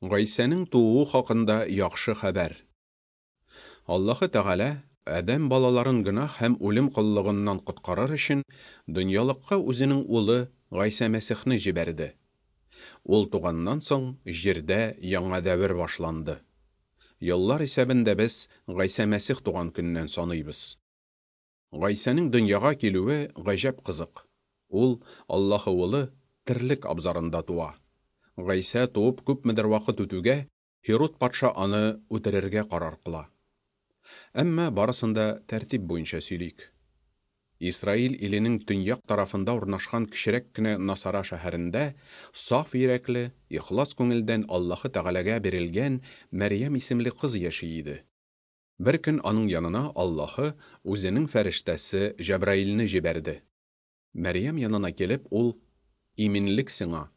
Гайсәнең тууы хакында яхшы хәбәр. Аллаһы Тәгалә адәм балаларын гөнаһ һәм үлем коллыгыннан коткарыр өчен дөньялыкка үзенең улы Гайсә Мәсихне җибәрде. Ул туганнан соң җирдә яңа дәвер башланды. Еллар исәбен дә без Гайсә Мәсих туган көннән саныйбыз. Гайсәнең дөньяга килүе гаҗәп кызык. Ул, Аллаһы Улы, терлек абзарында туа. Гайсә туып күпмедер вакыт үтүгә, Һируд патша аны үтерергә карар кыла. Әмма барысын да тәртип буенча сөйлик. Исраил иленең төньяк тарафында урнашкан кечерәк кенә Насара шәһәрендә саф йөрәкле, ихлас күңелдән Аллаһы Тәгаләгә бирелгән Мәрьям исемле кыз яши иде. Бер көн аның янына Аллаһы үзенең фәрештәсе Җәбраилне җибәрде. Мәрьям янына килеп, ул: Иминлек сиңа!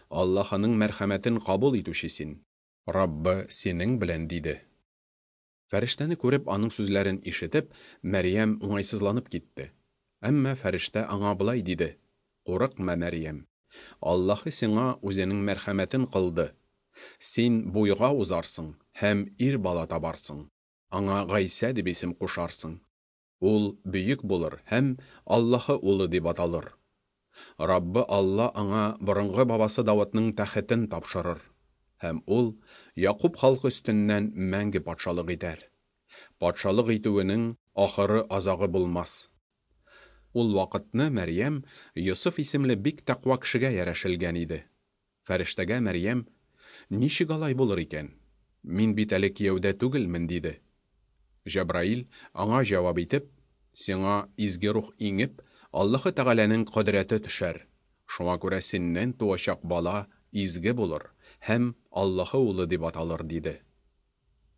Аллаһының мәрхәмәтен кабул итүче син. Раббы синең белән, диде. Фәрештәне күреп, аның сүзләрен ишетеп, Мәрьям уңайсызланып китте. Әмма фәрештә аңа болай диде: Курыкма, Мәрьям! Аллаһы сиңа үзенең мәрхәмәтен кылды. Син буйга узарсың һәм ир бала табарсың. Аңа Гайсә дип исем кушарсың. Ул бөек булыр һәм Аллаһы Улы дип аталыр. Раббы Алла аңа борынгы бабасы Давытның тәхетен тапшырыр, һәм ул Якуб халкы өстеннән мәңге патшалык итәр. Патшалык итүенең ахыры-азагы булмас. Ул вакытны Мәрьям Йосыф исемле бик тәкъва кешегә ярәшелгән иде. Фәрештәгә Мәрьям, Ничек алай булыр икән? Мин бит әле кияүдә түгелмен, диде. Җәбраил, аңа җавап итеп, Сиңа Изге Рух иңеп, Аллаһы Тәгаләнең кодрәте төшәр. Шуңа күрә синнән туачак бала изге булыр һәм Аллаһы Улы дип аталыр, диде.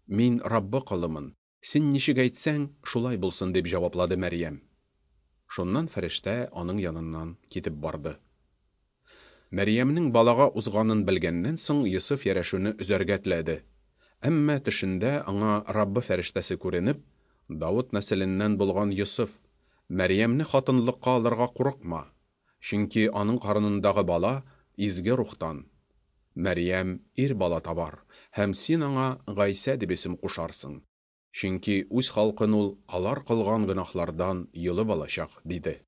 Мин Раббы колымын, син ничек әйтсәң, шулай булсын, дип җаваплады Мәрьям. Шуннан фәрештә аның яныннан китеп барды. Мәрьямнең балага узганын белгәннән соң Йосыф ярәшүне өзәргә теләде. Әмма төшендә аңа Раббы фәрештәсе күренеп, Давыт нәселеннән булган Йосыф, Мәрьямне хатынлыкка алырга курыкма, чөнки аның карынындагы бала Изге Рухтан. Мәрьям ир бала табар, һәм син аңа Гайсә дип исем кушарсың, чөнки үз халкын ул алар кылган гөнаһлардан йолып алачак, диде.